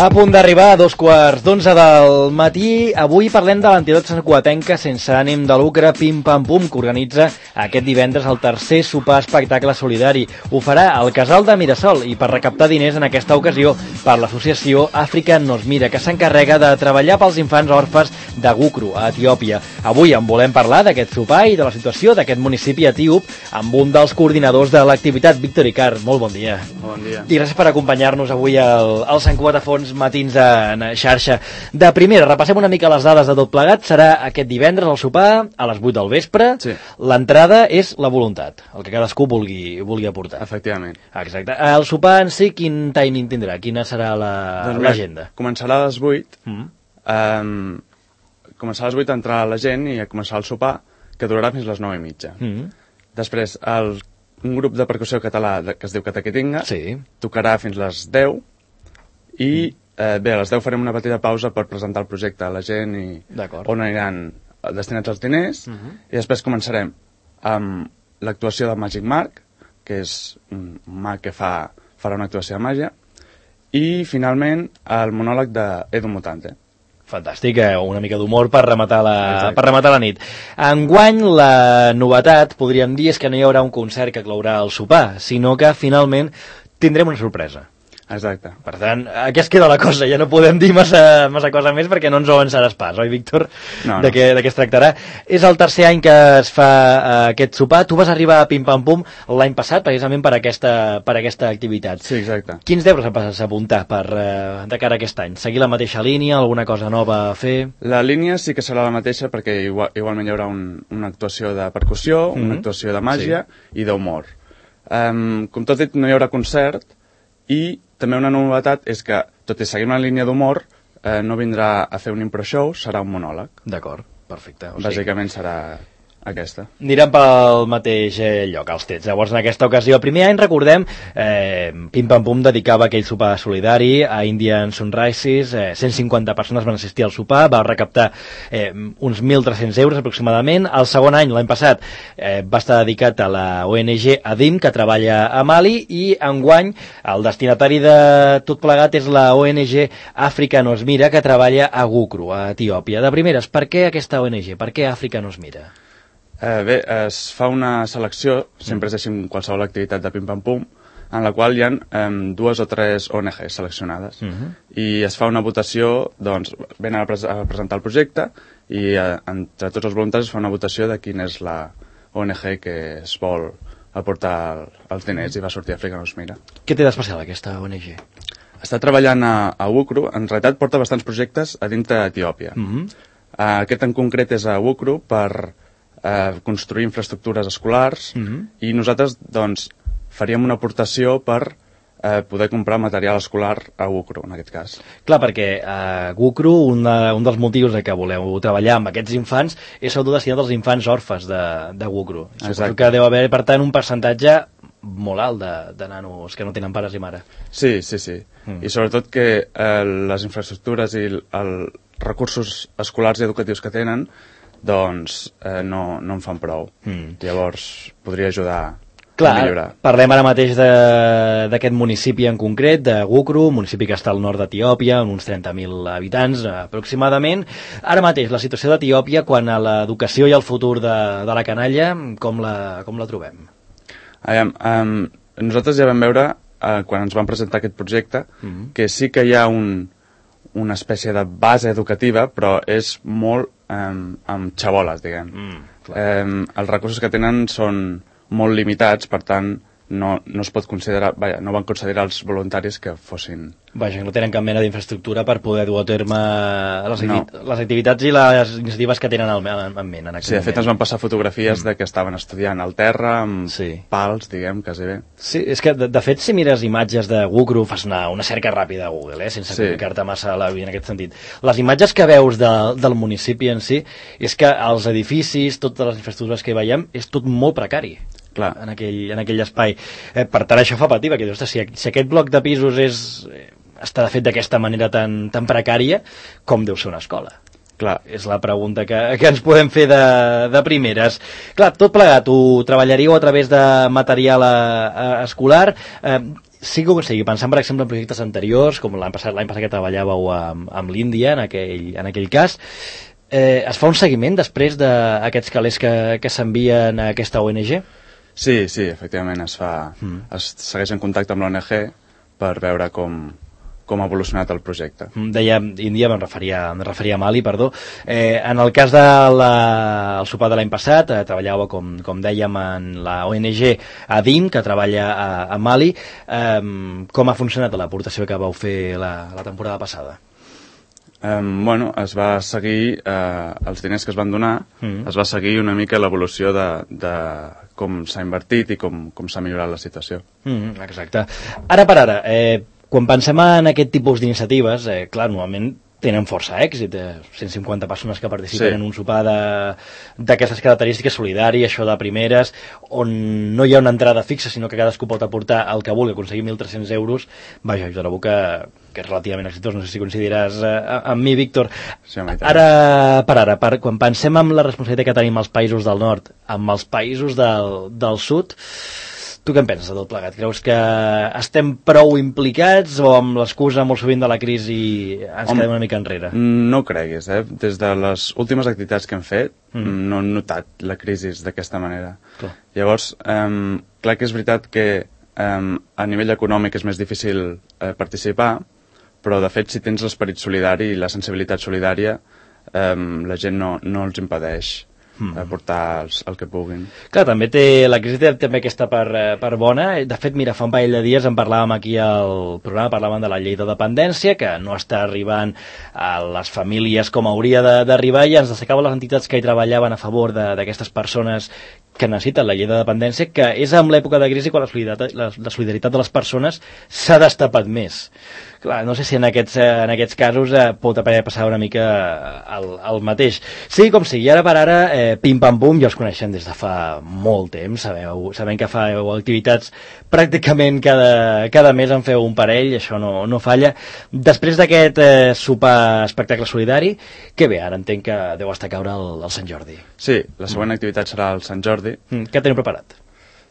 A punt d'arribar a 2:15 del matí. Avui parlem de l'entitat santcugatenca sense ànim de lucre Pim Pam Pum, que organitza aquest divendres el tercer sopar espectacle solidari. Ho farà al Casal de Mirasol i per recaptar diners en aquesta ocasió per l'associació Àfrica Nos Mira, que s'encarrega de treballar pels infants orfes de Gukru, a Etiòpia. Avui en volem parlar d'aquest sopar i de la situació d'aquest municipi etíop amb un dels coordinadors de l'activitat, Víctor Icar. Molt bon dia. Bon dia. I gràcies per acompanyar-nos avui al Sant Cugat a Fons Matins en xarxa. De primera, repassem una mica les dades de tot plegat. Serà aquest divendres el sopar a les 8 del vespre. Sí. L'entrada és la voluntat, el que cadascú vulgui aportar. Efectivament. Exacte. El sopar en si, quin timing tindrà? Quina serà l'agenda? Començarà a les 8. Començarà a les 8 a entrar la gent i a començar el sopar, que durarà fins les 9:30. Després, un grup de percussió català que es diu Cataquetinga tocarà fins les 10 i bé, a les 10 farem una petita pausa per presentar el projecte a la gent i on aniran destinats els diners, i després començarem amb l'actuació de Magic Mark, que és un mag que farà una actuació de màgia, i finalment el monòleg d'Edu Mutante. Fantàstic, una mica d'humor per rematar la nit. Enguany, la novetat, podríem dir, és que no hi haurà un concert que clourà el sopar, sinó que finalment tindrem una sorpresa. Exacte. Per tant, aquí es queda la cosa, ja no podem dir massa cosa més perquè no ens ho avançaràs pas, oi, Víctor? No. De què es tractarà. És el tercer any que es fa aquest sopar. Tu vas arribar a Pim Pam Pum l'any passat precisament per aquesta activitat. Sí, exacte. Quins deures vas apuntar de cara a aquest any? Seguir la mateixa línia, alguna cosa nova a fer? La línia sí que serà la mateixa perquè igualment hi haurà una actuació de percussió, una actuació de màgia i d'humor. Com tot dit, no hi haurà concert, i també una novetat és que, tot i seguir una línia d'humor, no vindrà a fer un impro show, serà un monòleg. D'acord, perfecte. Bàsicament serà aquesta. Anirem pel mateix lloc, els Tets. Llavors, en aquesta ocasió, el primer any, recordem, Pim Pam Pum dedicava aquell sopar solidari a Indian Sunrises, 150 persones van assistir al sopar, va recaptar uns 1.300 euros aproximadament. El segon any, l'any passat, va estar dedicat a la ONG ADIM, que treballa a Mali, i enguany el destinatari de tot plegat és la ONG Àfrica Nos Mira, que treballa a Gukru, a Etiòpia. De primeres, per què aquesta ONG? Per què Àfrica Nos Mira? Bé, es fa una selecció, sempre és així en qualsevol activitat de Pim Pam Pum, en la qual hi ha 2 o 3 ONGs seleccionades. I es fa una votació, doncs, venen a presentar el projecte i entre tots els voluntaris es fa una votació de quina és la ONG que es vol aportar els diners, i va sortir Àfrica Nos Mira. Què té d'especial aquesta ONG? Està treballant a Gukru, en realitat porta bastants projectes a dintre d'Etiòpia. Aquest en concret és a Gukru per construir infraestructures escolars, i nosaltres doncs faríem una aportació per poder comprar material escolar a Gukru, en aquest cas. Clar, perquè a Gukru un dels motius de que voleu treballar amb aquests infants és sobretot destinat als infants orfes de Gukru. Suposo que deu haver, per tant, un percentatge molt alt de nanos que no tenen pares i mare. Sí. I sobretot que les infraestructures i els recursos escolars i educatius que tenen doncs no en fan prou. Llavors podria ajudar a millorar. Parlem ara mateix d'aquest municipi en concret, de Gukru, un municipi que està al nord d'Etiòpia, amb uns 30.000 habitants aproximadament. Ara mateix, la situació d'Etiòpia quant a l'educació i el futur de la canalla, com la trobem? Nosaltres ja vam veure, quan ens vam presentar aquest projecte, que sí que hi ha una espècie de base educativa, però és molt amb xaboles, diguem. Els recursos que tenen són molt limitats, per tant no es pot considerar, no van considerar els voluntaris que fossin... No tenen cap mena d'infraestructura per poder dur a terme les activitats i les iniciatives que tenen en ment. Sí, de fet ens van passar fotografies de que estaven estudiant al terra, amb pals, diguem, quasi bé. Sí, és que de fet si mires imatges de Gukru, fas una cerca ràpida a Google, sense complicar-te massa la vida en aquest sentit. Les imatges que veus del municipi en si, és que els edificis, totes les infraestructures que hi veiem, és tot molt precari. Clar. En aquell espai. Per tant, això fa patir, perquè si aquest bloc de pisos està fet d'aquesta manera tan precària, com deu ser una escola? Clar. És la pregunta que ens podem fer de primeres. Clar, tot plegat, ho treballaríeu a través de material escolar. sigui com sigui, pensant per exemple en projectes anteriors, com l'any passat que treballàveu amb l'Índia, en aquell cas, es fa un seguiment després d'aquests calés que s'envien a aquesta ONG? Sí, efectivament es fa. Es segueix en contacte amb l'ONG per veure com ha evolucionat el projecte. Deia Índia, em referia a Mali, perdó. En el cas del sopar de l'any passat, treballava, com dèiem, en la ONG ADIM, que treballa a Mali. Com ha funcionat l'aportació que vau fer la temporada passada? Es va seguir els diners que es van donar, es va seguir una mica l'evolució de com s'ha invertit i com s'ha millorat la situació. Exacte. Ara per ara, quan pensem en aquest tipus d'iniciatives, clar, normalment tenen força èxit, 150 persones que participen en un sopar d'aquestes característiques, solidari, això de primeres, on no hi ha una entrada fixa, sinó que cadascú pot aportar el que vulgui, aconseguir 1.300 euros, vaja, jo trobo que és relativament exitós, no sé si coincidiràs amb mi, Víctor. Sí, ara, quan pensem en la responsabilitat que tenim als països del nord, amb els països del sud, tu què en penses de tot plegat? Creus que estem prou implicats o amb l'excusa molt sovint de la crisi ens quedem una mica enrere? No ho creguis, Des de les últimes activitats que hem fet no hem notat la crisi d'aquesta manera. Clar. Llavors, clar que és veritat que a nivell econòmic és més difícil participar, però de fet si tens l'esperit solidari i la sensibilitat solidària, la gent no els impedeix aportar el que puguin. Clar, també la crisi té també aquesta part bona. De fet, mira, fa un parell de dies en parlàvem aquí al programa, parlàvem de la llei de dependència, que no està arribant a les famílies com hauria d'arribar, i ens destacaven les entitats que hi treballaven a favor d'aquestes persones que necessiten la llei de dependència, que és en l'època de crisi quan la solidaritat de les persones s'ha destapat més. Clar, no sé si en aquests casos pot passar una mica el mateix. Sí, com sigui, ara per ara, Pim Pam Pum, ja els coneixem des de fa molt temps, sabem que feu activitats pràcticament cada mes en feu un parell, això no falla. Després d'aquest sopar espectacle solidari, què ve? Ara entenc que deu estar a caure el Sant Jordi. Sí, la següent activitat serà el Sant Jordi. Què teniu preparat?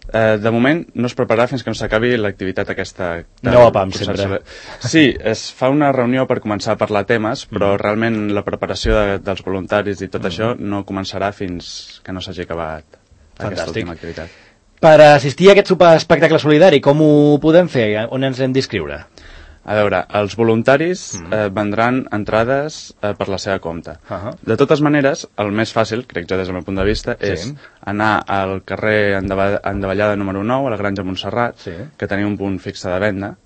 De moment no es prepararà fins que no s'acabi l'activitat aquesta. No a PAM, sempre. Sí, es fa una reunió per començar a parlar temes, però realment la preparació dels voluntaris i tot això no començarà fins que no s'hagi acabat aquesta última activitat. Per assistir a aquest sopar espectacle solidari, com ho podem fer? On ens hem d'inscriure? A veure, els voluntaris vendran entrades per la seva compte. De totes maneres, el més fàcil, crec jo des del meu punt de vista, és anar al carrer Endavallada número 9, a la Granja Montserrat, que tenim un punt fixe de venda,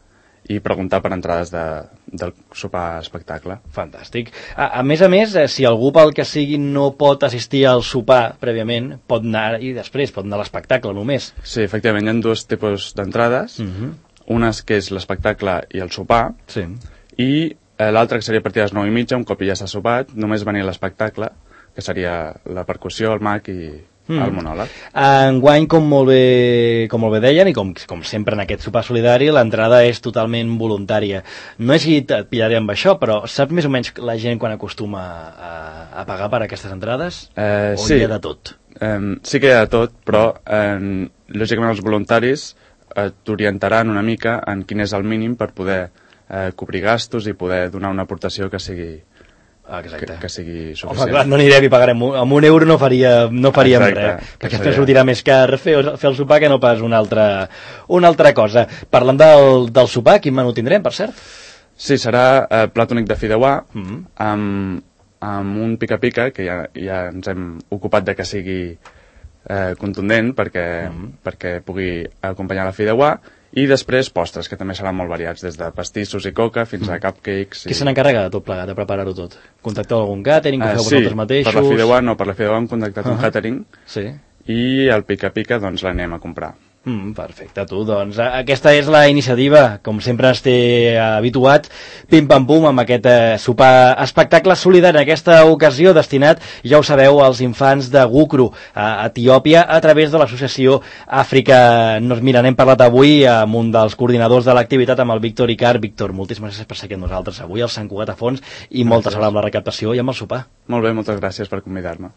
i preguntar per entrades del sopar espectacle. Fantàstic. A més, si algú pel que sigui no pot assistir al sopar prèviament, pot anar i després pot anar a l'espectacle només. Sí, efectivament, hi ha dos tipus d'entrades. Unes que és l'espectacle i el sopar, i l'altra que seria a partir de les 9:30, un cop ja s'ha sopat, només venir a l'espectacle, que seria la percussió, el mag i el monòleg. Enguany, com molt bé deien, i com sempre en aquest sopar solidari, l'entrada és totalment voluntària. No és si et pillaré amb això, però saps més o menys la gent quan acostuma a pagar per aquestes entrades? O hi ha de tot? Sí que hi ha de tot, però lògicament els voluntaris t'orientaran una mica en quin és el mínim per poder cobrir gastos i poder donar una aportació que sigui suficient. Home, clar, no anirem i pagarem amb €1 no faríem res, perquè després sortirà més car fer el sopar que no pas una altra cosa. Parlant del sopar, quin menú tindrem, per cert? Sí, serà plat únic de fideuà amb un pica-pica, que ja ens hem ocupat de que sigui contundent perquè pugui acompanyar la fideuà, i després postres, que també seran molt variats, des de pastissos i coca fins a cupcakes. Qui se n'encarrega de tot plegat, de preparar-ho tot? Contacteu algun catering, que feu vosaltres mateixos? Sí, per la fideuà no, per la fideuà hem contactat un catering, i el pica-pica doncs l'anem a comprar. Perfecte, doncs aquesta és la iniciativa, com sempre ens té habituats, Pim Pam Pum, amb aquest sopar espectacle solidari, en aquesta ocasió destinat, ja ho sabeu, als infants de Gukru, a Etiòpia, a través de l'associació Àfrica. Mira, n'hem parlat avui amb un dels coordinadors de l'activitat, amb el Víctor Icart. Víctor, moltíssimes gràcies per ser aquí amb nosaltres avui al Sant Cugat a Fons, i molta sort amb la recaptació i amb el sopar. Molt bé, moltes gràcies per convidar-me.